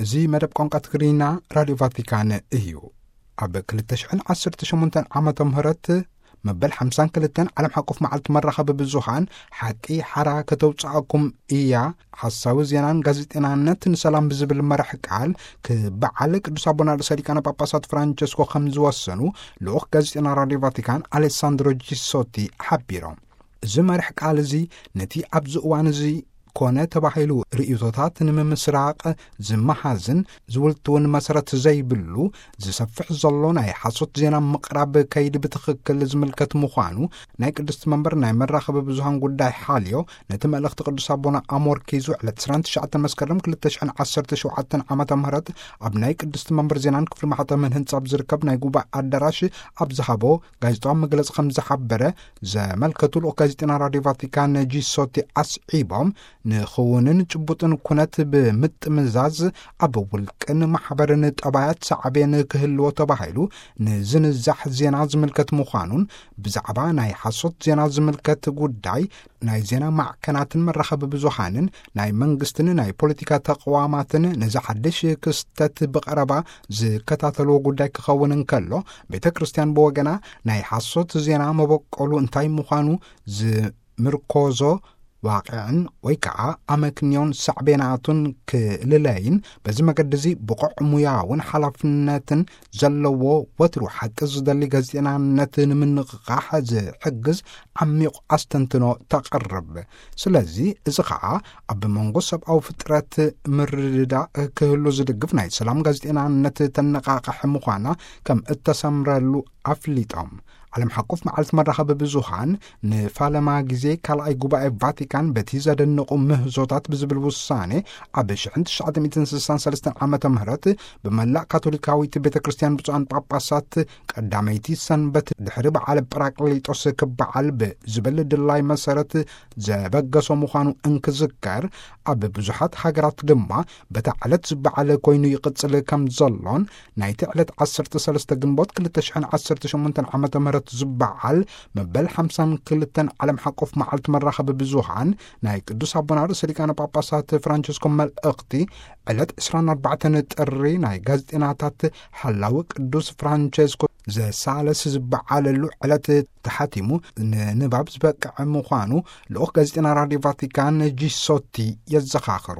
እዚ መደብ ቋንቋ ትግርኛ ራድዮ ቫቲካን እዩ። ኣብ ክልተ ሽሕን ዓሰርተ ሸሞንተን ዓመተ ምህረት መበል ሓምሳን ክልተን ዓለም ሓቆፍ መዓልቲ መራኸቢ ብዙሃን ሓቂ ሓራ ከተውፅኣኩም እያ፣ ሓሳዊ ዜናን ጋዜጠናነት ንሰላም ብዝብል መራሕ ቃል ክበዓል ቅዱስ ኣቦና ርእሰ ሊቃነ ጳጳሳት ፍራንቸስኮ ከም ዝወሰኑ ልኡኽ ጋዜጠና ራድዮ ቫቲካን ኣሌሳንድሮ ጂሶቲ ሓቢሮም። እዚ መራሕ ቃል እዚ ነቲ ኣብዚ እዋን እዚ ኮነ ተባሂሉ ርእይቶታት ንምምስራቕ ዝመሃዝን ዝውልትውን መሰረት ዘይብሉ ዝሰፍሕ ዘሎ ናይ ሓሶት ዜና ምቕራብ ከይዲ ብትኽክል ዝምልከት ምዃኑ ናይ ቅድስቲ መንበር ናይ መራኸቢ ብዙሃን ጉዳይ ሓልዮ ነቲ መልእኽቲ ቅዱስ ኣቦና ኣሞርኪዙ ዕለት ዕስራን ትሽዓተን መስከረም ክልተ ሽሕን ዓሰርተ ሸውዓተን ዓመተ ምህረት ኣብ ናይ ቅድስቲ መንበር ዜናን ክፍሊ ማሕተምን ህንጻ ኣብ ዝርከብ ናይ ጉባኤ ኣዳራሽ ኣብ ዝሃቦ ጋዜጣዊ መግለጺ ከም ዝሓበረ ዘመልከቱ ልኡኽ ጋዜጠና ራድዮ ቫቲካን ጂሶቲ ኣስዒቦም፣ ንኽውንን ጭቡጥን ኩነት ብምጥምዛዝ ኣብ ውልቅን ማሕበርን ጠባያት ሳዕቤን ክህልዎ ተባሂሉ ንዝንዛሕ ዜና ዝምልከት ምዃኑን ብዛዕባ ናይ ሓሶት ዜና ዝምልከት ጉዳይ ናይ ዜና ማዕከናትን መራኸቢ ብዙሃንን ናይ መንግስትን ናይ ፖለቲካ ተቕዋማትን ነዚ ሓድሽ ክስተት ብቐረባ ዝከታተልዎ ጉዳይ ክኸውን እንከሎ፣ ቤተ ክርስቲያን ብወገና ናይ ሓሶት ዜና መበቆሉ እንታይ ምዃኑ ዝምርኮዞ ዋቅዕን ወይ ከዓ ኣመክንዮን ሳዕቤናቱን ክልለይን በዚ መገዲ እዚ ብቑዕ ሙያውን ሓላፍነትን ዘለዎ ወትሩ ሓቂ ዝደሊ ጋዜጠናነት ንምንቕቓሕ ዝሕግዝ ዓሚቕ ኣስተንትኖ ተቕርብ። ስለዚ እዚ ኸዓ ኣብ መንጎ ሰብኣዊ ፍጥረት ምርድዳእ ክህሉ ዝድግፍ ናይ ሰላም ጋዜጠናነት ተነቓቕሕ ምዃና ከም እተሰምረሉ ኣፍሊጦም። ዓለም ሓቆፍ መዓልቲ መራኸቢ ብዙሃን ንፋለማ ግዜ ካልኣይ ጉባኤ ቫቲካን በቲ ዘደንቑ ምህዞታት ብዝብል ውሳኔ ኣብ ሽሕን ትሽዓተ ሚእትን ስሳን ሰለስተን ዓመተ ምህረት ብመላእ ካቶሊካዊት ቤተ ክርስቲያን ብፁዓን ጳጳሳት ቀዳመይቲ ሰንበት ድሕሪ በዓል ጳራቅሊጦስ ክበዓል ብዝብል ድላይ መሰረት ዘበገሶ ምዃኑ እንክዝከር፣ ኣብ ብዙሓት ሃገራት ድማ በታ ዕለት ዝበዓል ኮይኑ ይቕጽል ከም ዘሎን ናይቲ ዕለት ዓሰርተ ሰለስተ ግንቦት ክልተ ሽሕን ዓሰርተ ሸሞንተን ዓመተ ምህረት ዝበዓል መበል ሓምሳን ክልተን ዓለም ሓቆፍ መዓልቲ መራኸቢ ብዙሃን ናይ ቅዱስ ኣቦና ርእሰ ሊቃነ ጳጳሳት ፍራንቸስኮ መልእኽቲ ዕለት ዕስራን ኣርባዕተን ጥሪ ናይ ጋዜጠናታት ሓላዊ ቅዱስ ፍራንቸስኮ ዘሳለስ ዝበዓለሉ ዕለት ተሓቲሙ ንንባብ ዝበቅዐ ምዃኑ ልኡኽ ጋዜጠና ራድዮ ቫቲካን ጂሶቲ የዘኻኽሩ።